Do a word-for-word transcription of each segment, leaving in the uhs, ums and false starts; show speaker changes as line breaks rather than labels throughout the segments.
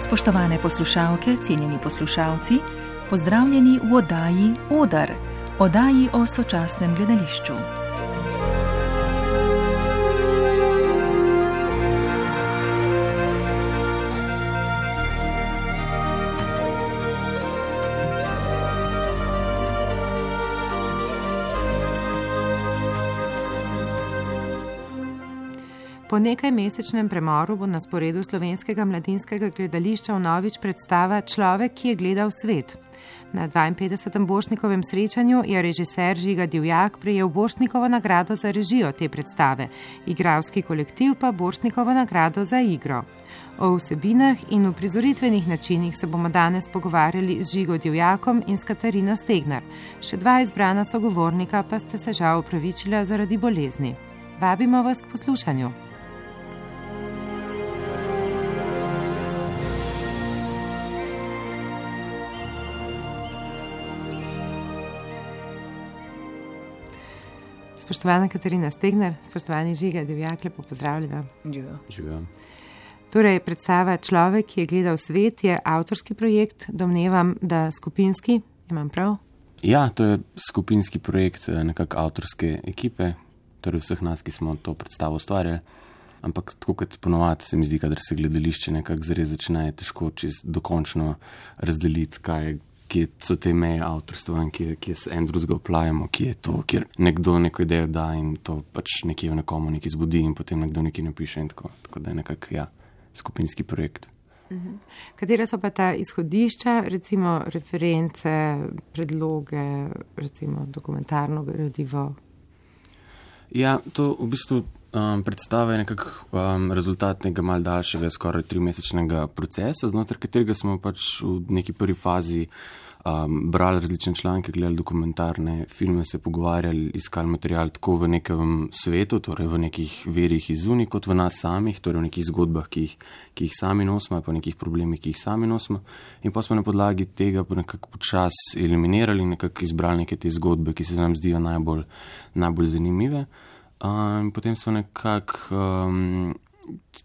Spoštovane poslušalke, cenjeni poslušalci, pozdravljeni v oddaji Odar, oddaji o sočasnem gledališču.
Po nekajmesečnem premoru bo na sporedu Slovenskega mladinskega gledališča vnovič predstava Človek, ki je gledal svet. Na dvainpetdesetem Borštnikovem srečanju je režiser Žiga Divjak prejel Borštnikovo nagrado za režijo te predstave, igralski kolektiv pa Borštnikovo nagrado za igro. O vsebinah in uprizoritvenih načinih se bomo danes pogovarjali z Žigo Divjakom in s Katarino Stegnar. Še dva izbrana sogovornika pa ste se žal opravičila zaradi bolezni. Vabimo vas k poslušanju. Spoštovana Katarina Stegnar, spoštovani Žiga Divjak, lepo pozdravljena.
Živijo.
Živijo.
Torej, predstava Človek, ki je gledal svet, je avtorski projekt, domnevam, da skupinski, imam prav?
Ja, to je skupinski projekt nekako avtorske ekipe, torej vseh nas, ki smo to predstavo ustvarjali. Ampak tako kot ponovadi se mi zdi, kadar se gledališče nekako zares začne, je težko čez dokončno razdeliti, kaj je, kje so te meje avtorstva in kje, kje se en drugega oplajamo, kje je to, kjer nekdo neko idejo da in to pač nekje v nekomu nekaj zbudi in potem nekdo nekaj napiše in tako. Tako da je nekako, ja, skupinski projekt.
Uh-huh. Katere so pa ta izhodišča, recimo reference, predloge, recimo dokumentarno gradivo?
Ja, to v bistvu um, predstava je nekako um, rezultat nekega mal daljšega, skoraj trimesečnega procesa, znotraj katerega smo pač v neki prvi fazi um, brali različne članke, gledali dokumentarne filme, se pogovarjali, iskali material tako v nekem svetu, torej v nekih verjih iz zunaj, kot v nas samih, torej v nekih zgodbah, ki jih, ki jih sami nosimo, pa nekih problemih, ki jih sami nosimo. In pa smo na podlagi tega pa nekako počas eliminirali in nekako izbrali neke te zgodbe, ki se nam zdijo najbolj, najbolj zanimive. In um, potem so nekako um,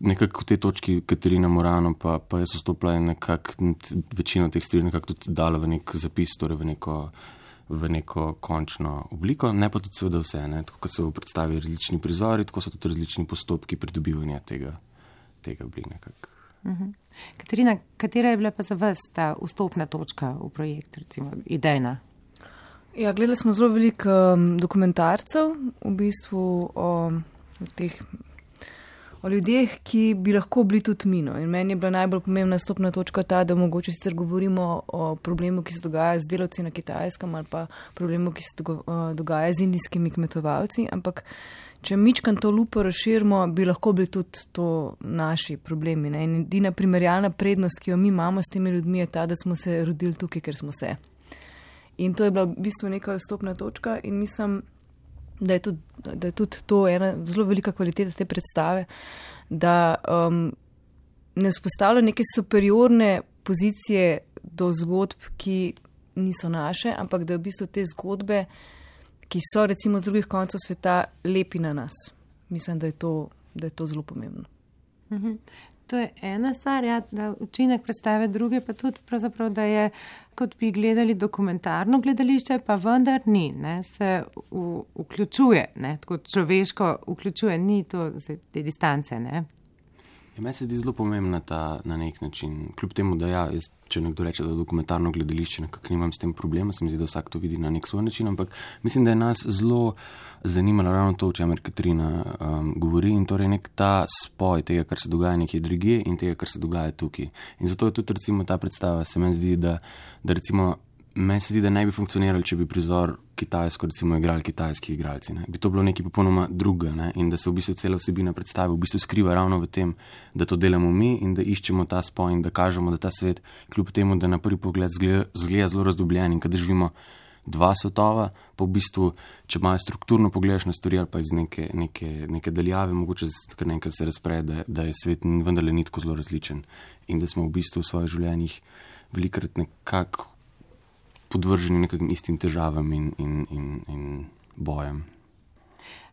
nekako v tej točki Katarina Morano pa, pa jaz vstopila in nekako večino teh stvari nekako tudi dala v nek zapis, torej v neko, v neko končno obliko, ne pa tudi seveda vse, ne? Tako kot se v predstavi različni prizori, tako so tudi različni postopki pridobivanja tega, tega bili nekako.
Uh-huh. Katarina, katera je bila pa za vas ta vstopna točka v projekt, recimo idejna?
Ja, gledali smo zelo veliko um, dokumentarcev, v bistvu o, o teh, o ljudeh, ki bi lahko bili tudi mino. In meni je bila najbolj pomembna stopna točka ta, da mogoče sicer govorimo o problemu, ki se dogaja z delavci na Kitajskem ali pa problemu, ki se dogaja z indijskimi kmetovalci, ampak če mičkam to lupo razširimo, bi lahko bili tudi to naši problemi. Ne? In edina primerjalna prednost, ki jo mi imamo s temi ljudmi, je ta, da smo se rodili tukaj, ker smo se. In to je bila v bistvu neka vstopna točka in mislim, da je tudi, da je tudi to ena zelo velika kvaliteta te predstave, da um, ne vzpostavlja neke superiorne pozicije do zgodb, ki niso naše, ampak da v bistvu te zgodbe, ki so recimo z drugih koncev sveta, lepi na nas. Mislim, da je to, da je to zelo pomembno.
Mhm. To je ena stvar, ja, da učinek predstave, druge pa tudi pravzaprav, da je, kot bi gledali dokumentarno gledališče, pa vendar ni, ne, se v, vključuje, ne, tako človeško vključuje, ni to z te distance, ne.
Ja, meni se zdi zelo pomembna ta na nek način, kljub temu, da ja, jaz, če nekdo reče, da dokumentarno gledališče nekako nimam s tem problema, se mi zdi, da vsak to vidi na nek svoj način, ampak mislim, da je nas zelo zanimalo ravno to, o čemer Katarina um, govori in torej nek ta spoj tega, kar se dogaja nekje drugje in tega, kar se dogaja tukaj. In zato je tudi recimo ta predstava, se meni zdi, da, da recimo meni se zdi, da ne bi funkcionirali, če bi prizor kitajsko recimo igrali kitajski igralci. Ne? Bi to bilo nekaj popolnoma druga, ne? In da se v bistvu cela vsebina predstave v bistvu skriva ravno v tem, da to delamo mi in da iščemo ta spoj in da kažemo, da ta svet, kljub temu, da na prvi pogled zgleda, zgleda zelo razdobljen in kadar živimo dva svetova, pa v bistvu, če malo strukturno pogledaš na stvari ali pa iz neke, neke, neke daljave, mogoče kar nekaj se razpre, da, da je svet vendarle ni tako zelo različen in da smo v bistvu v svojih življenjih velikrat nekako podvrženi nekim istim težavam in, in, in, in bojem.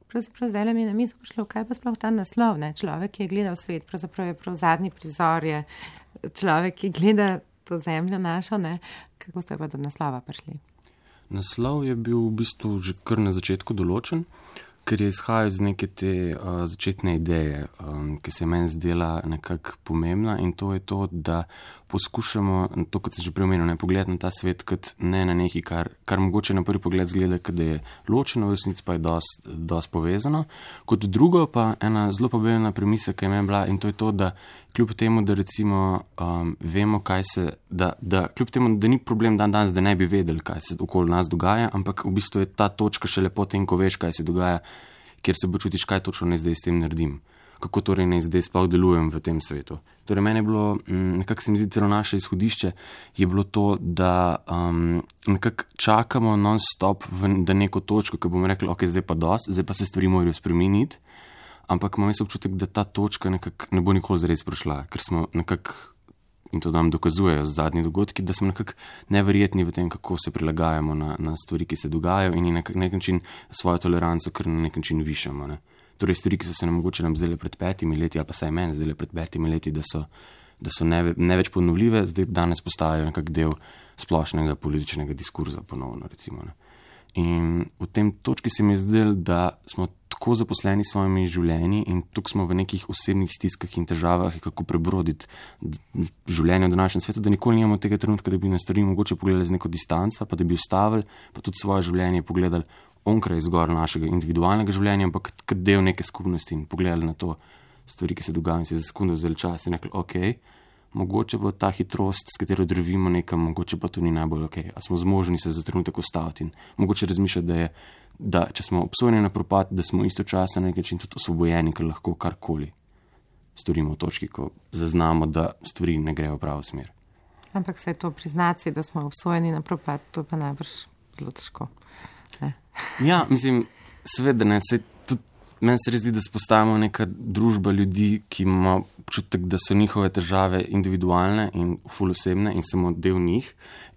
Pravzaprav zdaj mi na misel pošlo, kaj pa sploh ta naslov, ne? Človek, ki je gledal svet, pravzaprav je prav zadnji prizor je človek, ki gleda to zemljo našo, ne? Kako ste pa do naslova prišli?
Naslov je bil v bistvu že kar na začetku določen, ker je izhajal iz neke te uh, začetne ideje, um, ki se je meni zdela nekako pomembna, in to je to, da poskušamo, to kot sem že preomenil, ne pogledati na ta svet kot ne na nekaj, kar, kar mogoče na prvi pogled zgleda, da je ločeno, v resnici pa je dost, dost povezano. Kot drugo pa ena zelo pomembna premisa, ki je meni bila, in to je to, da kljub temu, da recimo um, vemo, kaj se, da, da kljub temu, da ni problem dan danes, da ne bi vedeli, kaj se okoli nas dogaja, ampak v bistvu je ta točka še lepo tem, ko veš, kaj se dogaja, kjer se počutiš, kaj točno ne zdaj s tem naredim. Kako torej ne zdaj sploh delujem v tem svetu. Torej meni je bilo, nekako se mi zdi celo naše izhodišče, je bilo to, da um, nekako čakamo non-stop v neko točko, ki bomo rekli, ok, zdaj pa dost, zdaj pa se stvari morajo spremeniti, ampak imam jaz občutek, da ta točka nekako ne bo nikoli zares prišla, ker smo nekako, in to nam dokazujejo zadnji dogodki, da smo nekako neverjetni v tem, kako se prilagajamo na, na stvari, ki se dogajajo, in na nek način svojo toleranco, ker na nek način višamo, ne. Torej, stvari, ki so se nam mogoče nam zdele pred petimi leti, ali pa saj meni zdele pred petimi leti, da so, da so ne, ne več ponovljive, zdaj danes postajajo nekak del splošnega političnega diskurza ponovno, recimo. Ne. In v tem točki se mi je zdelo, da smo tako zaposleni s svojimi življenji in tukaj smo v nekih osebnih stiskah in težavah, kako prebroditi življenje v današnjem svetu, da nikoli nimamo tega trenutka, da bi na stvari mogoče pogledali z neko distanco, pa da bi ustavili, pa tudi svoje življenje pogledali onkraj zgor našega individualnega življenja, ampak kot del neke skupnosti in pogledali na to stvari, ki se dogajajo, in si za sekundo vzeli čas in rekli, ok, mogoče bo ta hitrost, s katero drvimo nekam, mogoče pa to ni najbolj ok, a smo zmožni se za trenutek ustaviti in mogoče razmišljati, da je, da če smo obsojeni na propad, da smo istočasno na nek način tudi osvobojeni, ker lahko karkoli storimo v točki, ko zaznamo, da stvari ne grejo v pravo smer.
Ampak se je to priznati, da smo obsojeni na propad, to pa najbrž zelo težko. Ne.
Ja, mislim, seveda ne, se tudi meni se zdi, da se postajamo neka družba ljudi, ki ima občutek, da so njihove težave individualne in ful osebne in samo del njih,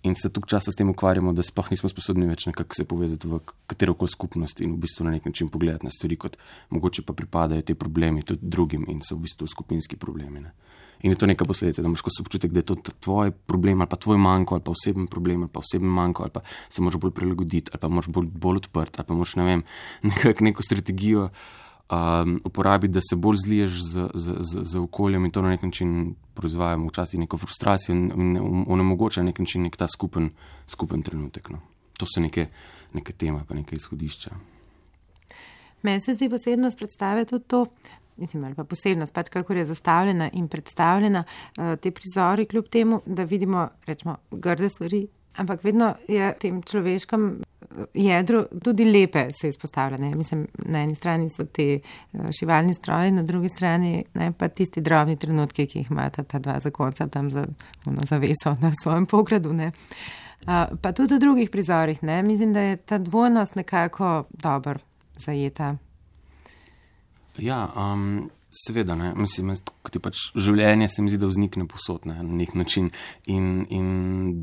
in se tukaj časa s tem ukvarjamo, da sploh nismo sposobni več nekako se povezati v katerokoli skupnost in v bistvu na nek način pogledati na stvari, kot mogoče pa pripadajo te problemi tudi drugim in so v bistvu skupinski problemi, ne. In je to neka posledica, da imaš ko se občutek, da je to tvoj problem ali pa tvoj manjko ali pa oseben problem ali pa oseben manjko ali pa se moraš bolj prilagoditi ali pa moraš bolj, bolj odprt ali pa moraš, ne vem, nekako neko strategijo um, uporabiti, da se bolj zliješ z, z, z, z okoljem in to na nek način proizvajamo včasih neko frustracijo in onemogoča na nek način nek ta skupen, skupen trenutek. No. To so neke, neke teme pa neke izhodišča.
Meni se zdi posebnost predstave tudi to, mislim, ali pa posebnost, pač kakor je zastavljena in predstavljena, te prizori, kljub temu, da vidimo, rečemo, grde stvari, ampak vedno je v tem človeškem jedru tudi lepe se izpostavljene. Mislim, na eni strani so te šivalni stroji, na drugi strani ne, pa tisti drobni trenutki, ki jih imata ta dva zakonca tam za ono zaveso na svojem pogradu. Ne. Pa tudi v drugih prizorih. Ne. Mislim, da je ta dvojnost nekako dobro zajeta.
Ja, um, seveda, ne, mislim, kot je pač življenje, se mi zdi, da vznikne povsod, ne, na nek način in, in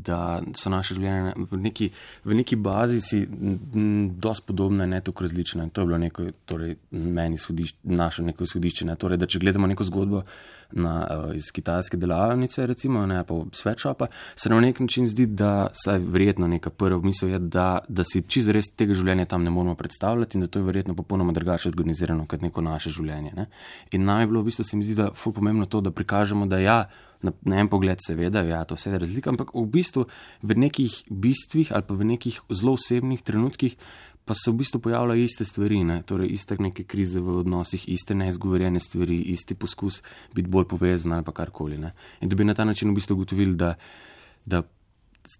da so naše življenje v neki, v neki bazi si dosti podobne, ne toliko različne. To je bilo neko, torej, meni izhodišče, naše neko izhodišče, ne, torej, da če gledamo neko zgodbo na, iz kitajske delavnice, recimo, ne, pa sweatshopa, se nam na nek način zdi, da saj verjetno neka prva misel je, da, da si čisto res tega življenja tam ne moramo predstavljati in da to je verjetno popolnoma drugače organizirano kot neko naše življenje. Ne. In nam je bilo v bistvu, se mi zdi, da ful pomembno to, da prikažemo, da ja, na, na en pogled seveda, ja, to vse je razlika, ampak v bistvu v nekih bistvih ali pa v nekih zelo osebnih trenutkih pa se v bistvu pojavljajo iste stvari, ne? Torej iste neke krize v odnosih, iste neizgovorjene stvari, isti poskus biti bolj povezan ali pa karkoli. Ne? In da bi na ta način v bistvu ugotovili, da, da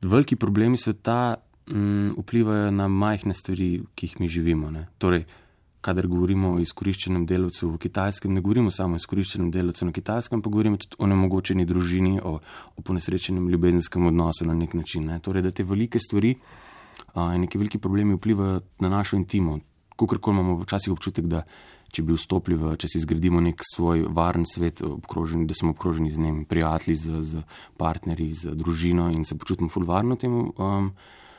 veliki problemi sveta m, vplivajo na majhne stvari, ki jih mi živimo. Ne? Torej, kadar govorimo o izkoriščenem delavcu v Kitajskem, ne govorimo samo o izkoriščenem delavcu na Kitajskem, pa govorimo tudi o nemogočeni družini, o, o ponesrečenem ljubezenskem odnosu na nek način. Ne? Torej, da te velike stvari uh, in neki veliki problemi vplivajo na našo intimo. Kakorkoli imamo včasih občutek, da če bi vstopili v, če si zgradimo nek svoj varen svet, obkroženi, da smo obkroženi z njimi, prijatelji, z, z partnerji, z družino in se počutimo ful varno temu um,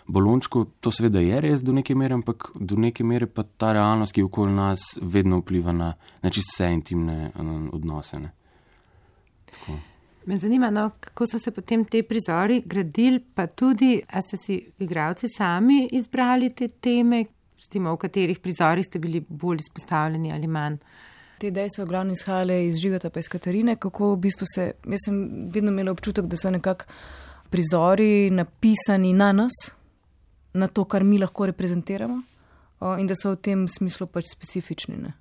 balončku, to seveda je res do neke mere, ampak do neke mere pa ta realnost, ki okoli nas vedno vpliva na, na čisto vse intimne um, odnose. Ne? Tako.
Me zanima, no, kako so se potem te prizori gradili, pa tudi, a ste si igralci sami izbrali te teme, recimo, v katerih prizorih ste bili bolj izpostavljeni ali manj?
Te ideje so glavno izhajale iz Žigata pa iz Katarine, kako v bistvu se, jaz sem vedno imela občutek, da so nekako prizori napisani na nas, na to, kar mi lahko reprezentiramo, in da so v tem smislu pač specifični, ne.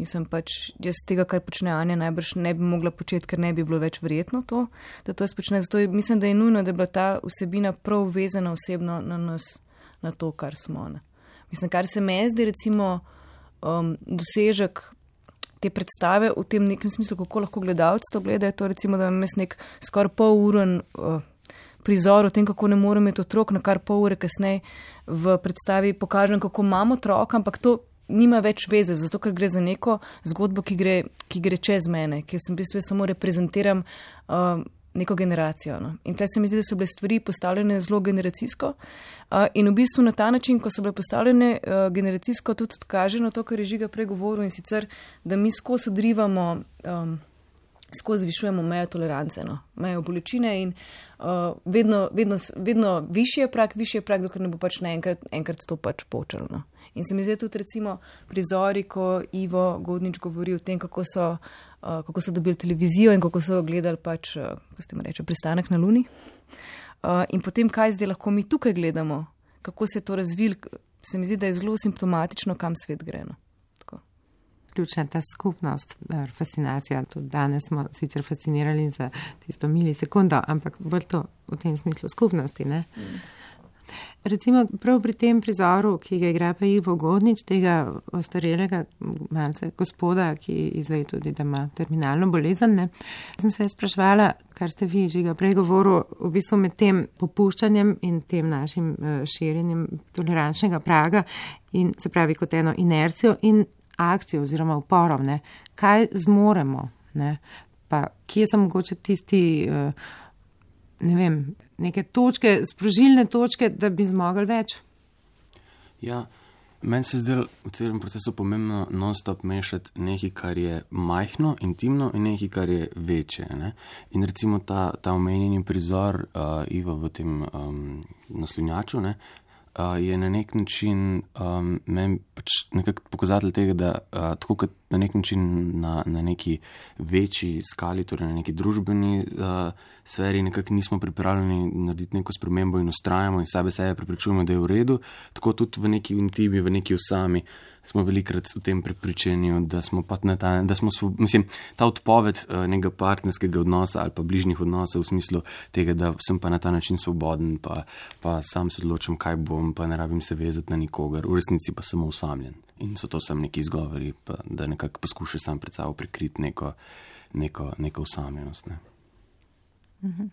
Mislim pač, jaz tega, kar počne Anja, najbrž ne bi mogla početi, ker ne bi bilo več verjetno to, da to jaz počne. Zato je, mislim, da je nujno, da je bila ta vsebina prav vezana osebno na nas, na to, kar smo. Ne. Mislim, kar se me zdi, recimo, um, dosežek te predstave v tem nekem smislu, kako lahko gledalci to gledajo, to recimo, da imam jaz nek skoraj pol uren uh, prizor o tem, kako ne morem imeti otrok, na kar pol ure kasneje v predstavi pokažem, kako imam otrok, ampak to nima več veze, zato ker gre za neko zgodbo, ki gre, ki gre čez mene, ker sem v bistvu samo reprezentiram uh, neko generacijo. No. In tukaj se mi zdi, da so bile stvari postavljene zelo generacijsko uh, in v bistvu na ta način, ko so bile postavljene uh, generacijsko, tudi kaže na to, kar je Žiga prej govoril, in sicer, da mi skozi odrivamo, um, skozi zvišujemo mejo tolerance, no, mejo bolečine in uh, vedno, vedno, vedno višji je prag, višji je prag, dokler ne bo pač naenkrat enkrat to pač počelo. No. In se mi zdi tudi recimo prizori, ko Ivo Godnič govori o tem, kako so, uh, kako so dobili televizijo in kako so gledali pač, uh, kako ste mi reče, Pristanek na Luni. Uh, in potem, kaj zdaj lahko mi tukaj gledamo, kako se je to razvil, se mi zdi, da je zelo simptomatično, kam svet gre. No.
Ključna ta skupnost, fascinacija, tudi danes smo sicer fascinirali za tisto milisekundo, ampak bolj to v tem smislu skupnosti, ne? Mm. Recimo prav pri tem prizoru, ki ga igra pa Ivo Godnič, tega ostarelega malce gospoda, ki izve tudi, da ima terminalno bolezen, ne, sem se spraševala, kar ste vi, Žiga, prej govoril, v bistvu med tem popuščanjem in tem našim širjenjem tolerančnega praga in se pravi kot eno inercijo in akcijo oziroma uporom, ne, kaj zmoremo, ne, pa kje so mogoče tisti, ne vem, neke točke, sprožilne točke, da bi zmogli več?
Ja, meni se zdaj v celem procesu pomembno non-stop mešati nekaj, kar je majhno, intimno in nekaj, kar je večje. Ne? In recimo ta, ta omenjeni prizor uh, Iva v tem um, naslonjaču, ne, uh, je na nek način um, meni pač nekako pokazatelj tega, da uh, tako kot na nek način na, na neki večji skali, torej na neki družbeni uh, sferi nekako nismo pripravljeni narediti neko spremembo in ustrajamo in sebe sebe prepričujemo, da je v redu, tako tudi v neki intimi, v neki osami smo velikrat v tem prepričanju, da smo pa na ta, da smo, mislim, ta odpoved uh, nekega partnerskega odnosa ali pa bližnjih odnosov v smislu tega, da sem pa na ta način svoboden, pa, pa sam se odločam, kaj bom, pa ne rabim se vezati na nikogar, v resnici pa samo osamljen. In so to sam neki izgovori, pa, da nekako poskuša sam pred sabo prikriti neko, neko, neko osamljenost. Ne.
Uh-huh.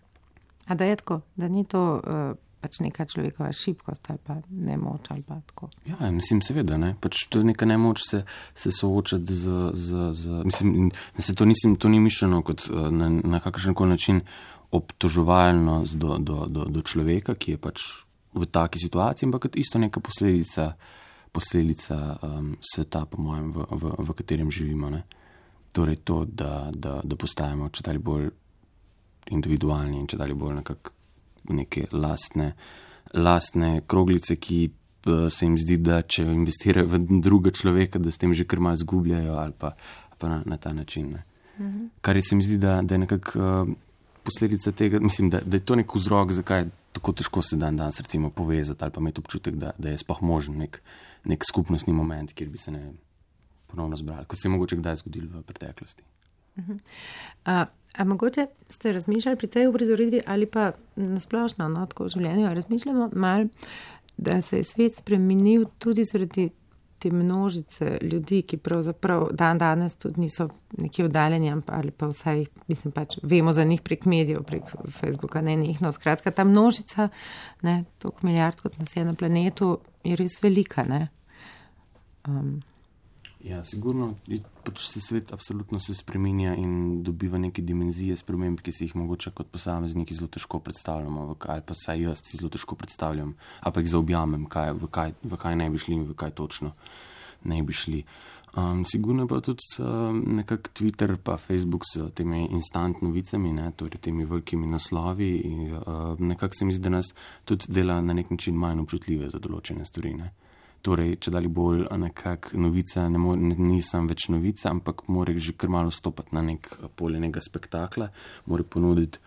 A da je tako, da ni to uh, pač neka človekova šibkost ali pa nemoč ali pa tako?
Ja, mislim, seveda, ne. Pač to je neka nemoč se, se soočati z, z, z mislim, se to, nisem, to ni mišljeno kot uh, na, na kakršenkoli način obtoževalno do, do, do, do človeka, ki je pač v taki situaciji, ampak kot isto neka posledica posledica um, sveta, po mojem, v, v, v katerem živimo. Ne? Torej to, da, da, da postajamo čedalje bolj individualni in čedalje bolj nekako neke lastne, lastne kroglice, ki uh, se jim zdi, da če investirajo v druga človeka, da s tem že kar malo zgubljajo ali pa, pa na, na ta način. Ne? Mm-hmm. Kar je se mi zdi, da, da je nekako uh, posledica tega, mislim, da, da je to nek vzrok, zakaj tako težko se dan danes recimo povezati ali pa imeti občutek, da, da je sploh možen nek nek skupnostni moment, kjer bi se ne ponovno zbrali, kot se je mogoče kdaj zgodilo v preteklosti.
Uh-huh. A, a mogoče ste razmišljali pri tej uprizoritvi ali pa nasplošno, no, tako v življenju, razmišljamo malo, da se je svet spremenil tudi zaradi te množice ljudi, ki pravzaprav dan danes tudi niso nekje oddaljeni ali pa vsaj, mislim pač, vemo za njih prek medijev, prek Facebooka, ne njihno. Skratka, ta množica, ne, toliko milijard kot nas je na planetu, je res velika, ne. Um.
Ja, sigurno, pač se svet absolutno se spreminja in dobiva neke dimenzije sprememb, ki si jih mogoče kot posamezniki zelo težko predstavljamo, ali pa saj jaz si zelo težko predstavljam, ali pa jih zaobjamem, kaj, v, kaj, v kaj ne bi šli in v kaj točno ne bi šli. Um, sigurno pa tudi um, nekak Twitter pa Facebook s temi instant novicami, ne, torej temi velikimi naslovi in uh, nekako se mi zdi, da nas tudi dela na nek način manj občutljive za določene stvari, ne. Torej, če dali bolj nekak novica, ne more, ne, nisem več novica, ampak mora že kar malo stopati na nek polje nekega spektakla, mora ponuditi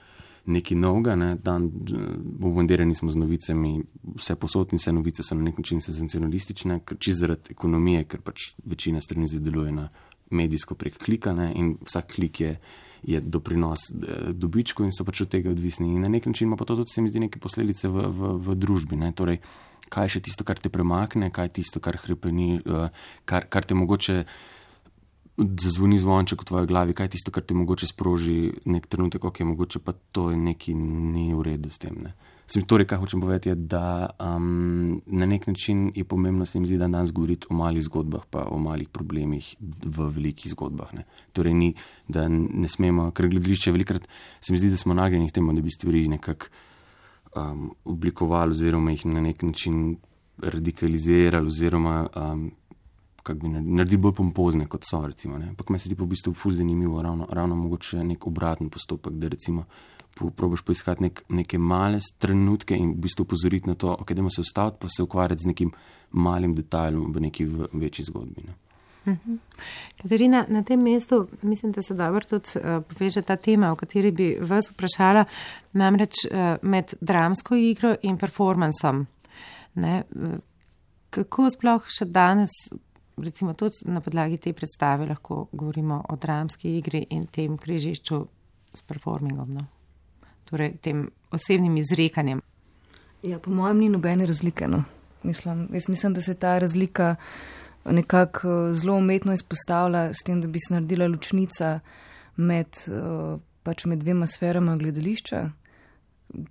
nekaj novega, ne, dan bombardirani smo z novicami, vse posod in vse novice so na nek način senzacionalistične, ker čisto zaradi ekonomije, ker pač večina strani zadeluje na medijsko prek klika, ne, in vsak klik je, je doprinos dobičku in so pač od tega odvisni. In na nek način ima pa to tudi, se mi zdi, neke posledice v, v, v družbi, ne, torej, kaj je še tisto, kar te premakne, kaj je tisto, kar hrepeni, kar, kar te mogoče zazvoni zvonček v tvoji glavi, kaj je tisto, kar te mogoče sproži nek trenutek, ok, mogoče pa to je neki ni v redu s tem, ne. Sem torej, kaj hočem povedati, je, da um, na nek način je pomembno, se mi zdi, da danes govoriti o malih zgodbah pa o malih problemih v velikih zgodbah, ne. Torej ni, da ne smemo, ker gledališče velikrat, se mi zdi, da smo nagnjeni k temu, da bi stvari nekako um, oblikovali oziroma jih na nek način radikalizirali oziroma um, kako bi naredili bolj pompozne, kot so, recimo, ne. Ampak meni se ti pa v bistvu ful zanimivo, ravno, ravno mogoče nek obraten postopek, da recimo po, probaš poiskati nek, neke male trenutke in v bistvu upozoriti na to, ok, dajmo se ustaviti, pa se ukvarjati z nekim malim detajlom v neki v, večji zgodbi, ne.
Uh-huh. Katarina, na tem mestu mislim, da se dobro tudi uh, poveže ta tema, o kateri bi vas vprašala, namreč uh, med dramsko igro in performansom. Ne? Kako sploh še danes, recimo tudi na podlagi te predstave, lahko govorimo o dramski igri in tem križišču s performingom, no? Torej tem osebnim izrekanjem?
Ja, po mojem ni nobene razlike, no. Mislim, jaz mislim, da se ta razlika nekako zelo umetno izpostavlja s tem, da bi se naredila ločnica med, pač med dvema sferama gledališča,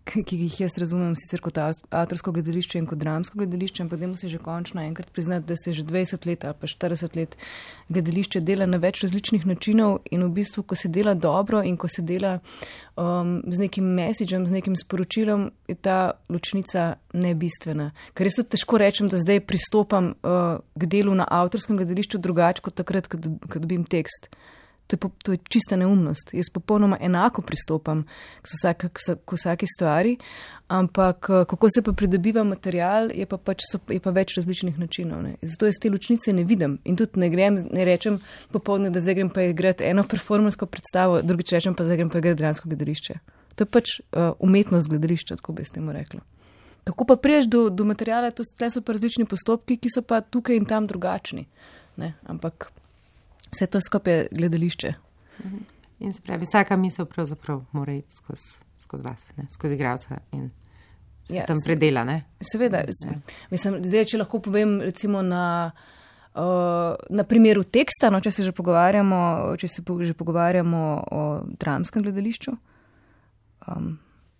ki jih jaz razumem sicer kot avtorsko gledališče in kot dramsko gledališče, ampak dajmo se že končno enkrat priznati, da se že dvajset let ali pa štirideset let gledališče dela na več različnih načinov in v bistvu, ko se dela dobro in ko se dela um, z nekim messageom, z nekim sporočilom, je ta ločnica nebistvena. Ker jaz tudi težko rečem, da zdaj pristopam uh, k delu na avtorskem gledališču drugače kot takrat, ko dobim tekst. To je, po, to je čista neumnost. Jaz popolnoma enako pristopam k, vsake, k vsaki stvari, ampak kako se pa pridobiva material, je pa, pač, so, je pa več različnih načinov. Ne. Zato jaz te ločnice ne vidim in tudi ne grem, ne rečem popolne, da zdaj grem pa igrati eno performansko predstavo, drugič rečem pa zdaj grem pa igrati dramsko gledališče. To je pač uh, umetnost gledališča, tako bi s temu rekla. Kako pa priješ do, do materijala, to so pa različni postopki, ki so pa tukaj in tam drugačni. Ne, ampak vse to skupaj gledališče.
In se pravi, vsaka misel pravzaprav mora iti skozi, skozi vas, ne? Skozi igralca in se ja, tam predela, ne?
Seveda. Ja. Mislim, zdaj, če lahko povem recimo na, uh, na primeru teksta, no, če se že pogovarjamo, če se po, že pogovarjamo o dramskem gledališču, um,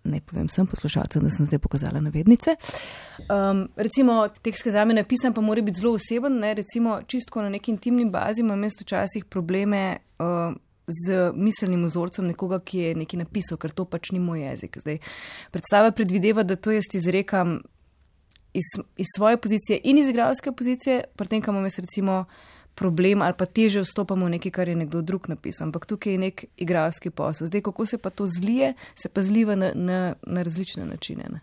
ne povem sem poslušalcem, da sem zdaj pokazala navednice. Um, recimo, tekst, ki za me napisan, pa mora biti zelo oseben, ne? Recimo, čistko na neki intimni bazi imam jaz včasih probleme uh, z miselnim vzorcem nekoga, ki je nekaj napisal, ker to pač ni moj jezik. Zdaj, predstava predvideva, da to jaz izrekam iz, iz svoje pozicije in iz igralske pozicije, pri tem, kam imam jaz recimo problem ali pa teže vstopamo v nekaj, kar je nekdo drug napisal, ampak tukaj je nek igralski posel. Zdaj, kako se pa to zlije, se pa zliva na, na, na različne načine. Ne?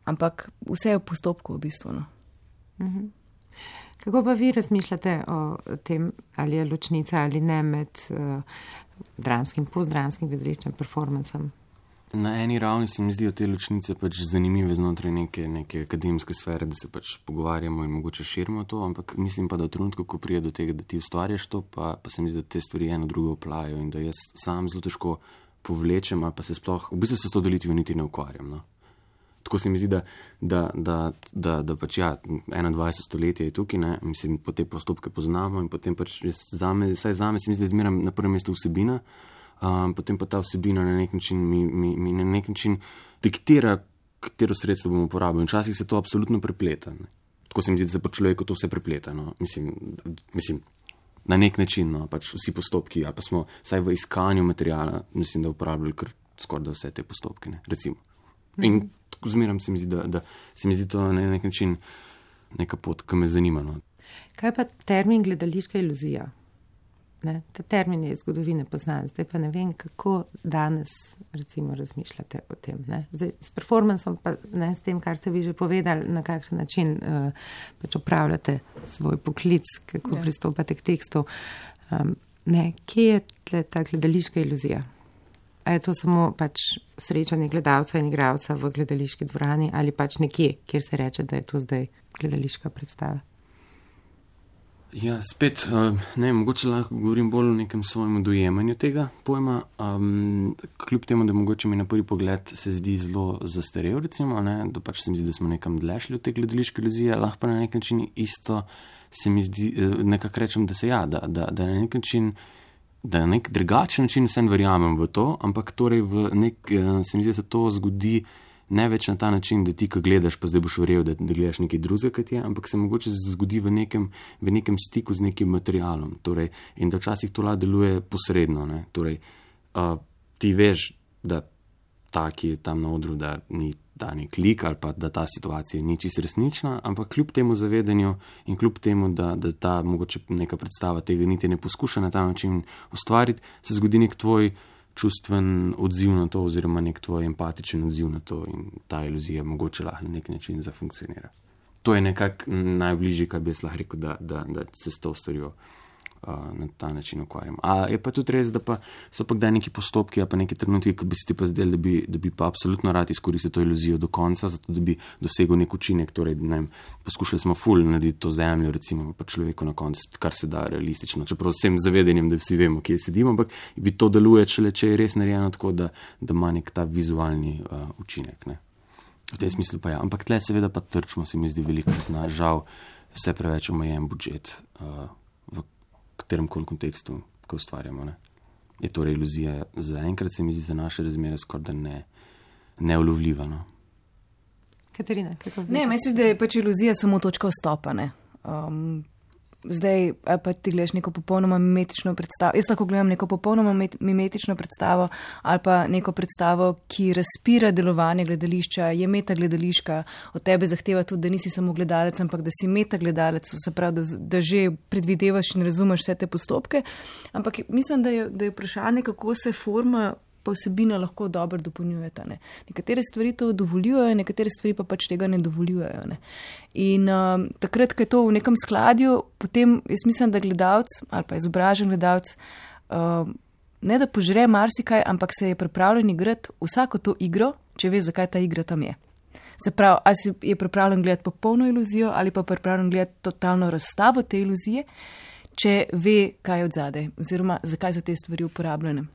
Ampak vse je v postopku v bistvu. No.
Uh-huh. Kako pa vi razmišljate o tem, ali je ločnica ali ne med uh, dramskim, postdramskim gledališčem, performancem?
Na eni ravni se mi zdijo te ločnice pač zanimive znotraj neke, neke akademske sfere, da se pač pogovarjamo in mogoče širimo to, ampak mislim pa, da v trenutku, ko prije do tega, da ti ustvarjaš to, pa, pa se mi zdi, da te stvari eno drugo oplajajo in da jaz sam zelo težko povlečem ali pa se sploh, v bistvu se s to delitvijo niti ne ukvarjam. No. Tako se mi zdi, da, da, da, da, da pač ja, enaindvajseto stoletje je tukaj, ne, mislim, po te postopke poznamo in potem pač zame, saj zame se mi zdi, da zmeram na prvem mestu vsebina. Um, potem pa ta vsebina na nek način mi, mi, mi na nek način diktira, katero sredstvo bomo uporabili. Včasih se to absolutno prepleta. Ne. Tako se mi zdi, da se po človeku to vse prepleta. No. Mislim, mislim, na nek način, no, pač vsi postopki, ali pa smo vsaj v iskanju materijala, mislim, da uporabljali kar skoraj da vse te postopke, ne, recimo. In tako zmeram se mi zdi, da, da se mi zdi to na nek način neka pot, ki me zanima. No.
Kaj pa termin gledališka iluzija? Ne? Ta termin je iz zgodovine poznan, zdaj pa ne vem, kako danes recimo razmišljate o tem. Ne? Zdaj, s performansom pa ne, s tem, kar ste vi že povedali, na kakšen način uh, pač opravljate svoj poklic, kako ja. pristopate k tekstu. Um, ne, kje je tle ta gledališka iluzija? A je to samo pač srečanje gledalca in igralca v gledališki dvorani ali pač nekje, kjer se reče, da je to zdaj gledališka predstava?
Ja, spet, ne, mogoče lahko govorim bolj o nekem svojem dojemanju tega pojma. Um, kljub temu, da mogoče mi na prvi pogled se zdi zelo zastarel, recimo, ne, da pač se mi zdi, da smo nekam dlešli od te gledališke iluzije, lahko pa na nek način isto se mi zdi, nekako rečem, da se ja, da, da, da na nek način, da na nek drugačen način vsem verjamem v to, ampak torej v nek, se mi zdi, da se to zgodi ne več na ta način, da ti, ko gledaš, pa zdaj boš verjel, da, da gledaš nekaj drugega, kot je, ampak se mogoče zgodi v nekem, v nekem stiku z nekim materialom. Torej, in da včasih to lahko deluje posredno. Ne? Torej, uh, ti veš, da ta, ki je tam na odru, da ni ta nek lik ali pa da ta situacija ni čisto resnična, ampak kljub temu zavedanju in kljub temu, da, da ta mogoče neka predstava tega niti ne poskuša na ta način ustvariti, se zgodi nek tvoj čustven odziv na to oziroma nek tvoj empatičen odziv na to in ta iluzija mogoče lahko na nek način zafunkcionira. To je nekako najbližje, kar bi jaz lahko rekel, da, da, da se s to storijo uh, na ta način ukvarjam. A je pa tudi res, da pa so pa kdaj neki postopki, a pa neki trenutki, ki bi se ti pa zdeli, da bi, da bi pa absolutno rad izkoristil to iluzijo do konca, zato da bi dosegel nek učinek, torej, ne vem, poskušali smo ful narediti to zemljo, recimo pa človeku na koncu, kar se da realistično, čeprav vsem zavedanjem, da vsi vemo, kje sedimo, ampak bi to deluje, če, če je res narejeno tako, da, da ima nek ta vizualni uh, učinek, ne. V tem smislu pa ja. Ampak tle seveda pa trčimo, se mi zdi veliko, na žal vse preveč omejen budžet uh, v katerem koli kontekstu, ko ustvarjamo. Ne. Je torej iluzija zaenkrat, se mi zdi, za naše razmere skoraj da ne, neulovljiva. No.
Katarina, kako bi?
Ne, mislim, da je pač iluzija samo točka vstopa, ne. Um, Zdaj, pa ti gledaš neko popolnoma mimetično predstavo. Jaz lahko gledam neko popolnoma mimetično predstavo ali pa neko predstavo, ki razpira delovanje gledališča, je meta gledališka, od tebe zahteva tudi, da nisi samo gledalec, ampak da si meta gledalec, se pravi, da, da že predvidevaš in razumeš vse te postopke. Ampak mislim, da je, da je vprašanje, kako se forma pa vsebina lahko dobro dopolnjujeta. Ne. Nekatere stvari to dovoljujejo, nekatere stvari pa pač tega ne dovoljujejo. Ne. In um, takrat, ko je to v nekem skladju, potem jaz mislim, da gledalec ali pa izobražen gledalec um, ne da požre marsikaj, ampak se je pripravljen igrati vsako to igro, če ve, zakaj ta igra tam je. Se pravi, ali si je pripravljen gledati popolno iluzijo ali pa pripravljen gledati totalno razstavo te iluzije, če ve, kaj je odzadaj oziroma zakaj so te stvari uporabljene.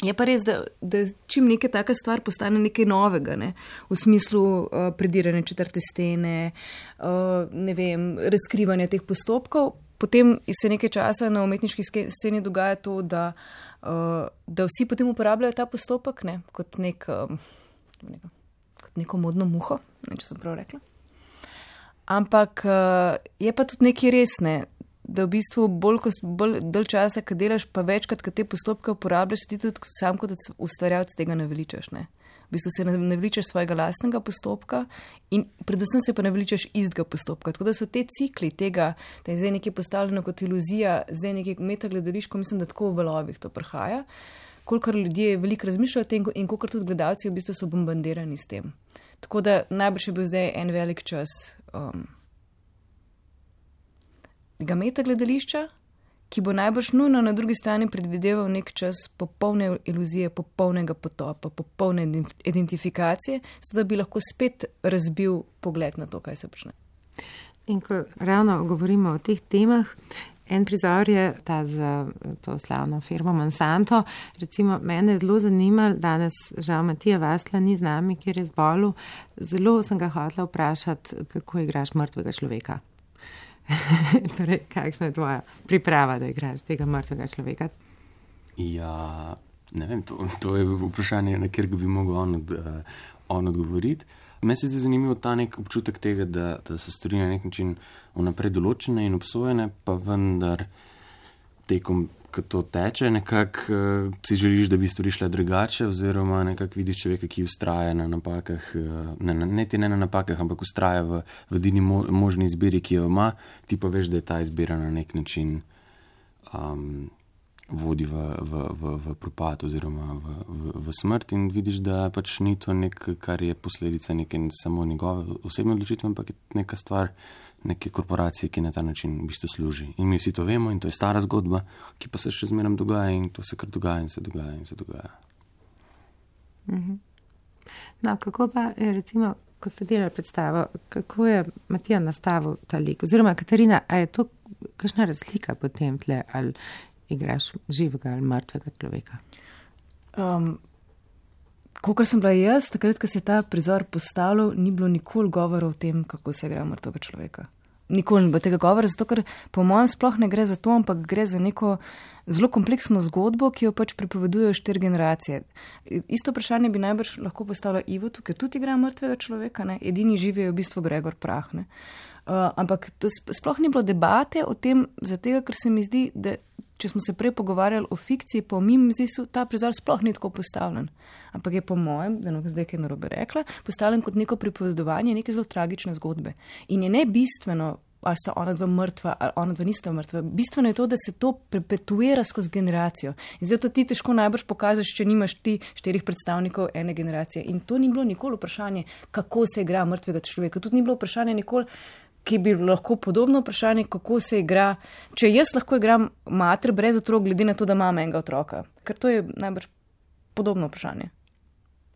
Je pa res, da, da čim neka taka stvar postane nekaj novega, ne? V smislu uh, predirane četrte stene, uh, ne vem, razkrivanja teh postopkov, potem se nekaj časa na umetniški sceni dogaja to, da, uh, da vsi potem uporabljajo ta postopek, ne? Kot, nek, um, neko, kot neko modno muho, ne, če sem prav rekla. Ampak uh, je pa tudi nekaj resne, da v bistvu bolj, bolj dalj časa, kad delaš, pa večkrat, kad te postopke uporabljaš, ti tudi sam kot ustvarjalec tega ne veličaš. Ne? V bistvu se ne veličaš svojega lastnega postopka in predvsem se pa ne veličaš istega postopka. Tako da so te cikli tega, da je zdaj nekaj postavljeno kot iluzija, zdaj nekaj metagledališko, mislim, da tako v valovih to prihaja, kolikor ljudje veliko razmišljajo o tem in kolikor tudi gledalci v bistvu so bombardirani s tem. Tako da najbrž je bil zdaj en velik čas um, tega metagledališča, ki bo najbrž nujno na drugi strani predvideval nek čas popolne iluzije, popolnega potopa, popolne identifikacije, zato da bi lahko spet razbil pogled na to, kaj se počne.
In ko ravno govorimo o teh temah, en prizor je ta za to slavno firmo Monsanto. Recimo, mene je zelo zanimalo, danes žal Matija Vasla ni z nami, kjer je zbolel. Zelo sem ga hotela vprašati, kako igraš mrtvega človeka. Torej, kakšna je tvoja priprava, da igraš tega mrtvega človeka?
Ja, ne vem, to, to je vprašanje, na kjer bi mogel on, od, uh, on odgovoriti. Meni se zdi zanimivo ta nek občutek tega, da, da so stvari na nek način vnaprej določene in obsojene, pa vendar tekom ko to teče, nekako uh, si želiš, da bi stvari šle drugače, oziroma nekako vidiš človeka, ki ustraja na napakah, uh, ne, ne, ne na napakah, ampak ustraja v, v edini mo, možni izbiri, ki jo ima, ti pa veš, da je ta izbira na nek način um, vodi v, v, v, v propad oziroma v, v, v smrt in vidiš, da pač ni to nekaj, kar je posledica neke samo njegove osebne odločitve, ampak je neka stvar neke korporacije, ki na ta način v bistvu služi. In mi vsi to vemo in to je stara zgodba, ki pa se še zmeraj dogaja in to se kar dogaja in se dogaja in se dogaja.
Mhm. No, kako pa, recimo, ko ste delali predstavo, kako je Matija nastavil ta lik? Oziroma, Katarina, a je to kakšna razlika potem tle, ali igraš živega ali mrtvega človeka?
Um, Kakor sem bila jaz, takrat, ko se je ta prizor postavljal, ni bilo nikoli govora o tem, kako se igra mrtvega človeka. Nikoli ni bilo tega govora, zato ker po mojem sploh ne gre za to, ampak gre za neko zelo kompleksno zgodbo, ki jo pač pripovedujejo štiri generacije. Isto vprašanje bi najbrž lahko postavila Ivotu, ker tudi igra mrtvega človeka, ne? Edini živi je v bistvu Gregor Prah. Ne? Uh, ampak to sploh ni bilo debate o tem, zato ker se mi zdi, da če smo se prej pogovarjali o fikciji, pa o mimiziju, ta prizor sploh ni tako postavljen. Ampak je po mojem, da ne zdaj kaj narobe rekla, postavljen kot neko pripovedovanje neke zelo tragične zgodbe. In je ne bistveno, ali sta ona dva mrtva, ali ona dva nista mrtva. Bistveno je to, da se to perpetuira skozi generacijo. In zdaj to ti težko najbrž pokažeš, če nimaš ti štirih predstavnikov ene generacije. In to ni bilo nikoli vprašanje, kako se igra mrtvega človeka. Tudi ni bilo vprašanje nikoli, ki bi lahko podobno vprašanje, kako se igra, če jaz lahko igram mater brez otrok, glede na to, da imam enega otroka. Ker to je najbrž podobno vprašanje.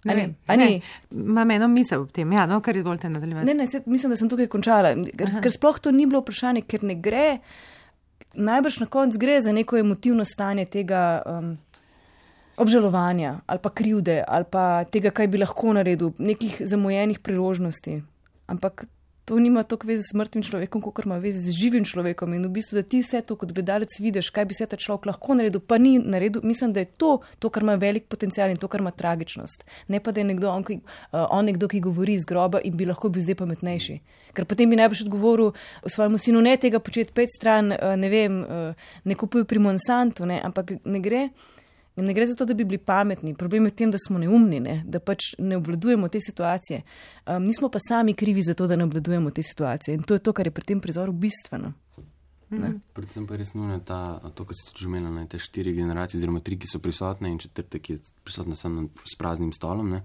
Ne,
ni?
ne, ne. Imam eno misel ob tem, ja, no, kar izvolite nadaljevati.
Ne, ne, se, mislim, da sem tukaj končala, ker, ker sploh to ni bilo vprašanje, ker ne gre, najbrž na konc gre za neko emotivno stanje tega um, obžalovanja ali pa krivde ali pa tega, kaj bi lahko naredil, nekih zamujenih priložnosti. Ampak to nima toliko veze s mrtvim človekom, kot ima veze z živim človekom. In v bistvu, da ti vse to kot gledalec vidiš, kaj bi se ta človek lahko naredil, pa ni naredil. Mislim, da je to, to, kar ima velik potencial in to, kar ima tragičnost. Ne pa, da je nekdo, on, ki, uh, on nekdo, ki govori iz groba in bi lahko bil zdaj pametnejši. Ker potem bi najbolj odgovoril svojemu sinu, ne tega početi pet stran, uh, ne vem, uh, ne kupuj pri Monsantu, ne, ampak ne gre. Ne gre za to, da bi bili pametni. Problem je v tem, da smo neumni, ne? Da pač ne obvladujemo te situacije. Um, nismo pa sami krivi za to, da ne obvladujemo te situacije. In to je to, kar je pri tem prizoru bistveno.
Mm. Predvsem pa je res nujno ta, to, kar si tudi že imela, te štiri generacije, oziroma tri, ki so prisotne in četrte, ki je prisotna samo s praznim stolom. Ne?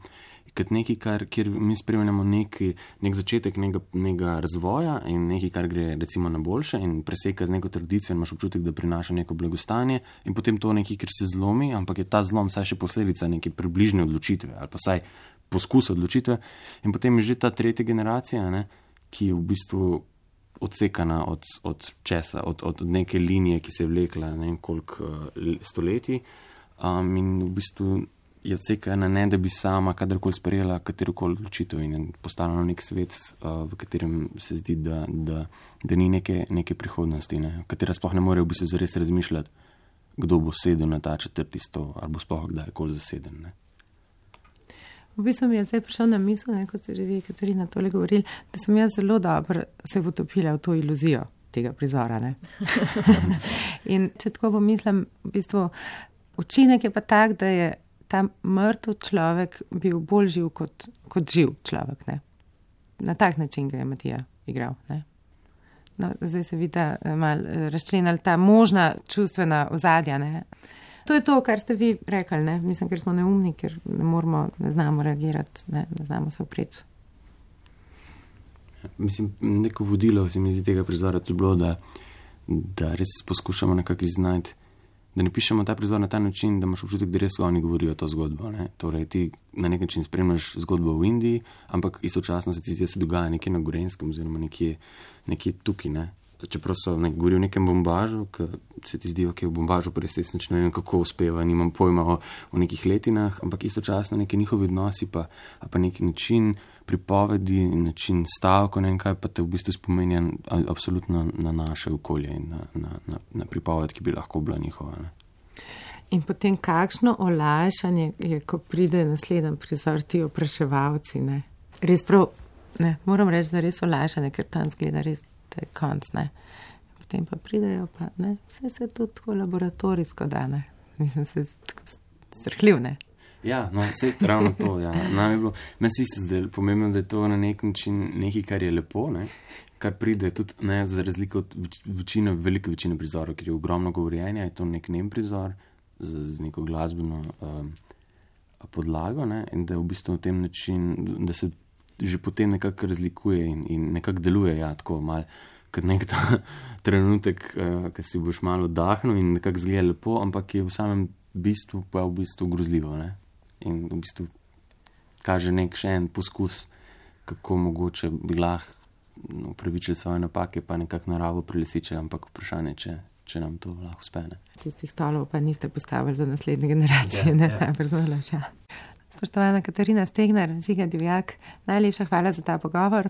Kot nekaj, kar, kjer mi spremljamo neki, nek začetek nekega, nekega razvoja in nekaj, kar gre recimo na boljše in preseka z neko tradicijo in imaš občutek, da prinaša neko blagostanje in potem to nekaj, kjer se zlomi, ampak je ta zlom vsaj še posledica neke približne odločitve ali pa vsaj poskus odločitve in potem je že ta tretja generacija, ne, ki je v bistvu odsekana od, od česa, od, od neke linije, ki se je vlekla ne vem koliko uh, stoletij um, in v bistvu je odsekana ne, da bi sama kadarkoli sprejela katerokoli odločitev in je postala nek svet, uh, v katerem se zdi, da, da, da ni neke, neke prihodnosti, ne, v katera sploh ne more v bistvu zares razmišljati, kdo bo sedel na ta četrti stol ali bo sploh kdajkoli zaseden. Ne.
V bistvu mi je zdaj prišel na misel, ne, ko ste že vi, Katarina, tole govorili, da sem jaz zelo dobro se potopila v to iluzijo tega prizora. Ne. In če tako pomislim, v bistvu učinek je pa tak, da je ta mrtev človek bil bolj živ kot, kot živ človek. Ne. Na tak način ga je Matija igral. Ne. No, zdaj se vidi malo razčlenili ta možna čustvena ozadja. Ne. To je to, kar ste vi rekli, ne? Mislim, ker smo neumni, ker ne moramo, ne znamo reagirati, ne, ne znamo se opreti.
Mislim, neko vodilo se mi zdi tega prizora tudi bilo, da, da res poskušamo nekako iznajti, da ne pišemo ta prizor na ta način, da imaš občutek, da res oni govorijo to zgodbo. Ne? Torej, ti na nek način spremljaš zgodbo v Indiji, ampak istočasno se ti zdi, da se dogaja nekje na Gorenskem oziroma nekje, nekje tukaj, ne? Čeprav so nek, govori o nekem bombažu, ki se ti zdi, ok, v bombažu pa res ne vem, kako uspeva, nimam pojma o, o nekih letinah, ampak istočasno neki njihovi odnosi pa, pa neki način pripovedi, način stavko, ne vem kaj, pa te v bistvu spomenja absolutno na naše okolje in na, na, na, na pripoved, ki bi lahko bila njihova. Ne.
In potem kakšno olajšanje je, ko pride naslednji prizor, ti opraševalci, ne. Res prav, ne, moram reči, da res olajšanje, ker tam zgleda res konc, ne. potem pa pridejo, pa ne, vse se tudi tako laboratorijsko da, ne. Mislim, se tako strhljiv, ne.
Ja, no, vse je ravno to, ja. Meni se isto zdaj pomembno, da je to na nek način nekaj, kar je lepo, ne, kar pride tudi, ne, za razliko od večine, velike večine prizorov, ker je ogromno govorjenja, je to nek nem prizor z, z neko glasbeno um, podlago, ne, in da je v bistvu na tem način, da se že potem nekako razlikuje in, in nekako deluje, ja, tako malo, kot nek ta trenutek, uh, ko si boš malo oddahnil in nekako zgleda lepo, ampak je v samem bistvu pa v bistvu grozljivo, ne. In v bistvu kaže nek še en poskus, kako mogoče bi lahko upravičili svoje napake, pa nekako naravo prelisičili, ampak vprašanje, če, če nam to lahko uspe.
Tistih stolov pa niste postavili za naslednje generacije, ja, ne, ja. Najbolj zalača. Spoštovana Katarina Stegnar, Žiga Divjak, najlepša hvala za ta pogovor.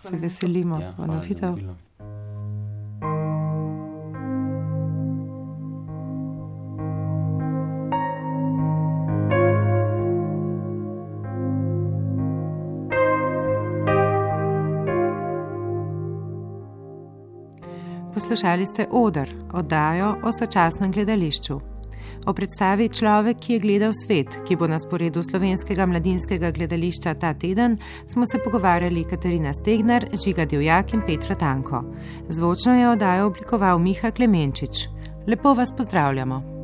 Se veselimo
ja,
ponovitev. Poslušali ste Oder, oddajo o sočasnem gledališču. O predstavi Človek, ki je gledal svet, ki bo na sporedu Slovenskega mladinskega gledališča ta teden, smo se pogovarjali Katarina Stegnar, Žiga Divjak in Petra Tanko. Zvočno je oddajo oblikoval Miha Klemenčič. Lepo vas pozdravljamo.